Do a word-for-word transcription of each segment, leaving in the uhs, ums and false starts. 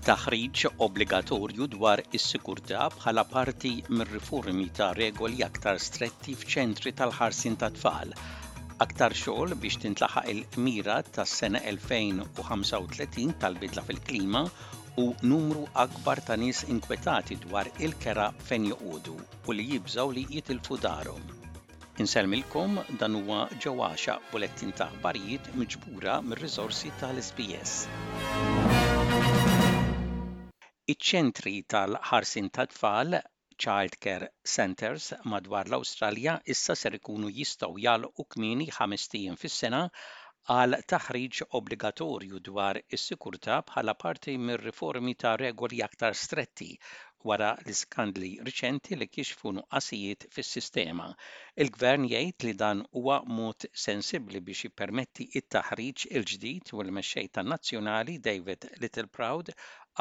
Taħriġ obbligatorju dwar is-sigurtà bħala parti mir-riformi ta' regoli aktar stretti f'ċentri tal-ħarsien tat-tfal. Aktar xogħol biex tintlaħaq il-mira tas-sena elfejn u ħamsa u tletin tal-bidla fil-klima u numru akbar ta' nies inkwetati dwar il-kera fejn joqogħdu u li jibżgħu li jitilfu darhom. Insellmilkom, dan huwa Ġew Għaxaq, bulettin ta' aħbarijiet miġbura mir-riżorsi tal-S B S. Iċ-ċentri tal-ħarsien tat-tfal, Child Care Centers, madwar l-Awstralja issa ser ikunu jistgħu jagħlqu kmieni ħamest ijiem fis-sena għal taħriġ obbligatorju dwar is-sikurtà bħala parti mir-riformi ta' regoli aktar stretti wara l-iskandli riċenti li kixfu nuqqasijiet fis-sistema. Il-gvern jgħid li dan huwa mod sensibbli biex jippermetti it-taħriġ il-ġdid u l-mexxej tan-nazzjonali David Littleproud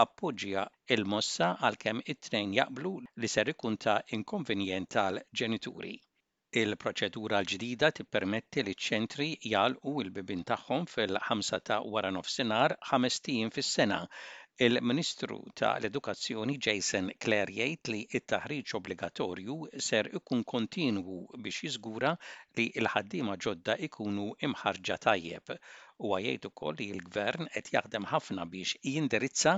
appoġġja il-mossa, għalkemm it-tnejn jaqblu li ser ikun ta' inkonvenjent tal-ġenituri. Il-proċedura l-ġdida tippermetti li ċ-ċentri jagħlqu l-bibien tagħhom fil-ħamsa ta' wara nofsinhar ħamest ijiem fis-sena. Il-Ministru ta' l-Edukazzjoni Jason Clare jgħid li t-taħriġ obbligatorju ser ikun kontinwu biex jiżgura li l-ħaddiema ġodda ikunu imħarġa tajjeb. Huwa jgħid ukoll li l-gvern qed jaħdem ħafna biex jindirizza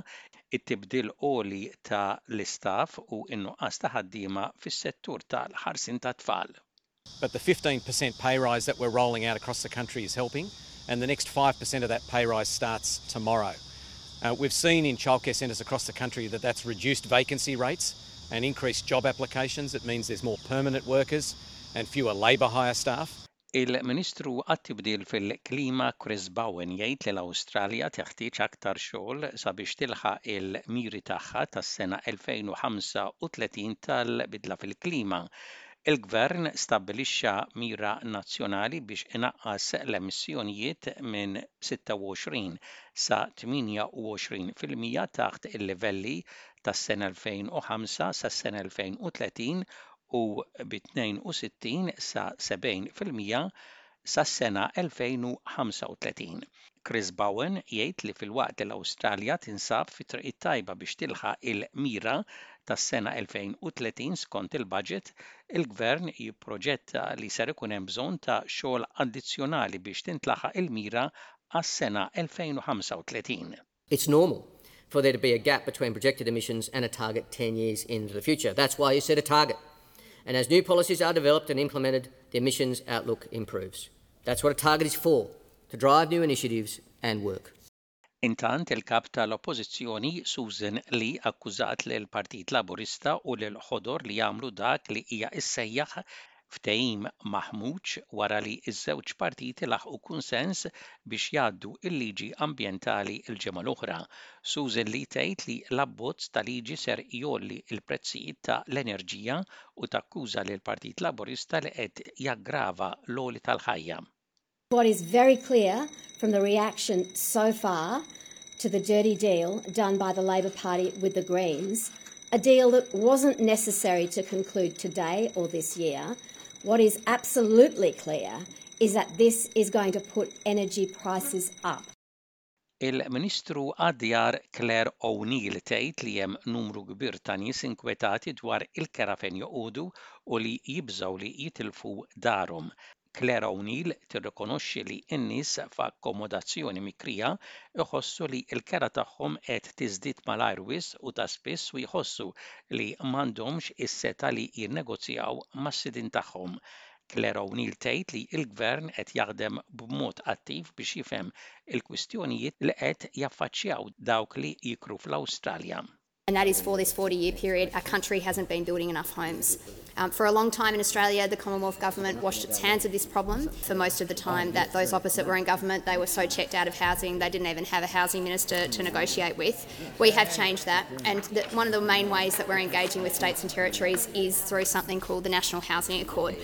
it-tibdil għoli ta' l-istaff u n-nuqqas ta' ħaddiema fis-settur tal-ħarsien tat-tfal. But the fifteen percent pay rise that we're rolling out across the country is helping, and the next five percent of that pay rise starts tomorrow. Uh, we've seen in childcare centres across the country that that's reduced vacancy rates and increased job applications. It means there's more permanent workers and fewer labour hire staff. Il-Ministru għat-tibdil fil-klima Chris Bowen jgħid li l-Awstralja teħtieġ aktar xogħol sabiex tilħaq il-miri tagħha tas-sena elfejn u ħamsa u tletin tal-bidla fil-klima. Il-gvern stabbilixxa mira nazzjonali biex inaqqas l-emissjonijiet minn sitta u għoxrin sa tmienja u għoxrin fil-mija taħt il-livelli tas-sena elfejn u ħamsa sas-sena elfejn u tletin u bi tnejn u sittin sa sebgħin fil-mija sas-sena elfejn u ħamsa u tletin. Chris Bowen jgħid li filwaqt li l-Awstralja tinsab fi triq tajba biex tilħaq il-mira tas-sena elfejn u tletin skont il-budget, il-gvern jipproġetta li ser ikun hemm bżonn ta' xogħol addizzjonali biex tintlaħaq il-mira għas-sena elfejn u ħamsa u tletin. It's normal for there to be a gap between projected emissions and a target ten years into the future. That's why you set a target. And as new policies are developed and implemented, the emissions outlook improves. That's what a target is for, to drive new initiatives and work. Intant, il-kap tal-Oppożizzjoni Susan Lee akkużat lil Partit Laburista u lil Ħodor li jagħmlu dak li hija issejjaħ ftehim maħmuġ wara li ż-żewġ partiti laħqu kunsens biex jgħaddu il-liġi ambjentali l-ġimgħa l-oħra. Susan Lee tgħid li l-abbozz ta' liġi ser jgħolli l-prezzijiet ta' l-enerġija u takkuża lil Partit Laburista li qed jaggrava l-għoli tal-ħajja. What is very clear from the reaction so far to the dirty deal done by the Labor Party with the Greens, a deal that wasn't necessary to conclude today or this year, what is absolutely clear is that this is going to put energy prices up. Il-Ministru għad-Djar Claire O'Neill tgħid li hemm numru kbir ta' nies inkwetati dwar il-kera fejn joqogħdu u li jibżgħu li jitilfu darhom. Claire O'Neill tirrikonoxxi li n-nies f'akkomodazzjoni mikrija iħossu li l-kera tagħhom qed tiżdied malajr wisq u ta' spiss u jħossu li m'għandhomx is-setgħa li jinnegozjaw mas-sidien tagħhom. Claire O'Neill tgħid li l-gvern qed jaħdem b'mod attiv biex jifhem il-kwistjonijiet li qed jaffaċċjaw dawk li jikru fl-Awstralja. And that is, for this forty year period, our country hasn't been building enough homes. Um, for a long time in Australia, the Commonwealth Government washed its hands of this problem. For most of the time that those opposite were in government, they were so checked out of housing, they didn't even have a housing minister to negotiate with. We have changed that, and the, one of the main ways that we're engaging with states and territories is through something called the National Housing Accord.